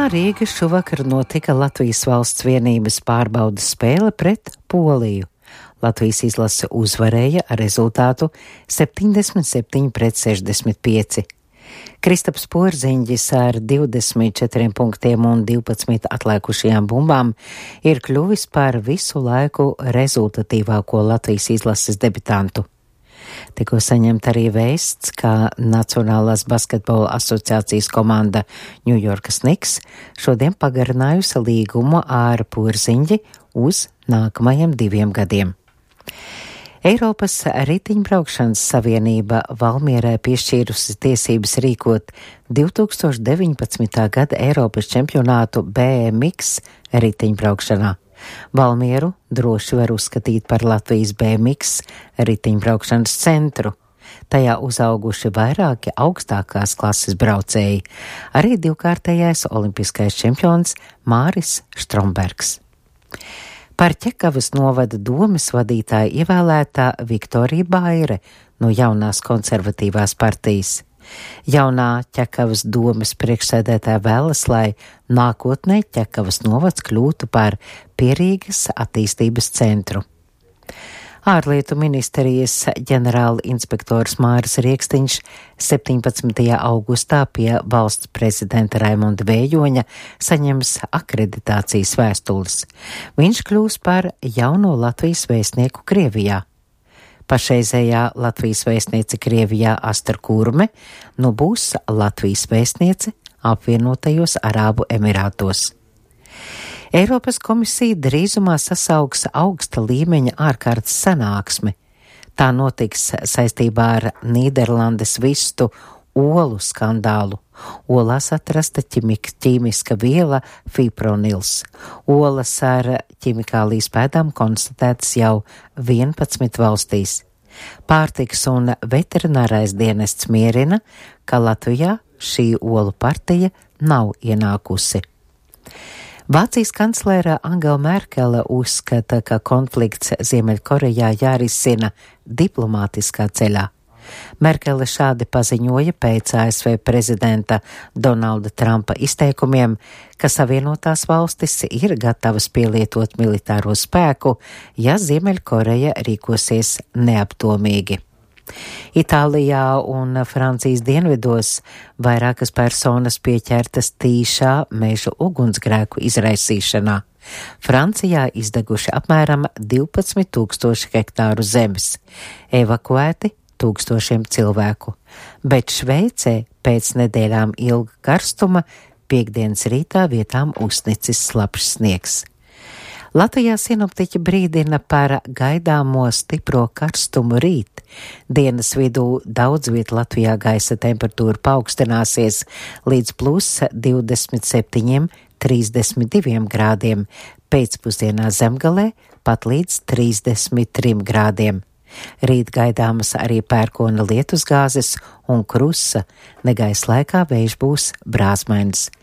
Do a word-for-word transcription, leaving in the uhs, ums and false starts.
Riegā Rīga šovakar notika Latvijas valsts vienības pārbaudas spēle pret Poliju. Latvijas izlase uzvarēja ar rezultātu septiņdesmit septiņi pret sešdesmit pieci. Kristaps Porziņģis ar divdesmit četriem punktiem un divpadsmit atliekušajām bumbām ir kļuvis par visu laiku rezultatīvāko Latvijas izlases debitantu. Tikko saņemta arī vēsts, ka Nacionālās basketbola asociācijas komanda New York Knicks šodien pagarinājusi līgumu ar Porziņģi uz nākamajiem diviem gadiem. Eiropas riteņbraukšanas savienība Valmierai piešķīrusi tiesības rīkot divi tūkstoši deviņpadsmitā gada Eiropas čempionātu B M X riteņbraukšanā. Valmieru droši var uzskatīt par Latvijas B M X riteņbraukšanas centru. Tajā uzauguši vairāki augstākās klases braucēji, arī divkārtējais olimpiskais čempions Māris Štrombergs. Par Ķekavas novada domes vadītāju ievēlētā Viktorija Baire no jaunās konservatīvās partijas. Jaunā Ķekavas domes priekšsēdētāja vēlas, lai nākotnē Ķekavas novads kļūtu par pierīgas attīstības centru. Ārlietu ministrijas ģenerāla inspektors Māris Riekstiņš septiņpadsmitajā augustā pie valsts prezidenta Raimonda Vējoņa saņems akreditācijas vēstules. Viņš kļūs par jauno Latvijas vēstnieku Krievijā. Pašreizējā Latvijas vēstniece Krievijā Astra Kurme nu būs Latvijas vēstniece apvienotajos Arābu Emirātos. Eiropas komisija drīzumā sasauks augsta līmeņa ārkārtas sanāksmi. Tā notiks saistībā ar Nīderlandes vistu olu skandālu. Olās atrasta ķimik, ķīmiska viela fipronils. Olas ar ķimikālijas pēdām konstatētas jau vienpadsmit valstīs. Pārtikas un veterinārais dienests mierina, ka Latvijā šī olu partija nav ienākusi. Vācijas kanclere Angela Merkele uzskata, ka konflikts Ziemeļkorejā jārisina diplomātiskā ceļā. Merkele šādi paziņoja pēc A S V prezidenta Donalda Trumpa izteikumiem, ka Savienotās valstis ir gatavas pielietot militāro spēku, ja Ziemeļkoreja rīkosies neapdomīgi. Itālijā un Francijas dienvidos vairākas personas pieķertas tīšā meža ugunsgrēku izraisīšanā. Francijā izdeguši apmēram divpadsmit tūkstoši hektāru zemes, evakuēti tūkstošiem cilvēku, bet Šveicē pēc nedēļām ilga karstuma piektdienas rītā vietām uzsnicis slapjš sniegs. Latvijā sinoptiķi brīdina par gaidāmo stipro karstumu rīt. Dienas vidū daudz viet Latvijā gaisa temperatūra paaugstināsies līdz plus divdesmit septiņiem, trīsdesmit diviem grādiem, pēcpusdienā Zemgalē pat līdz trīsdesmit trim grādiem. Rīt gaidāmas arī pērkona lietusgāzes un krusa, negaisa laikā vējš būs brāzmains.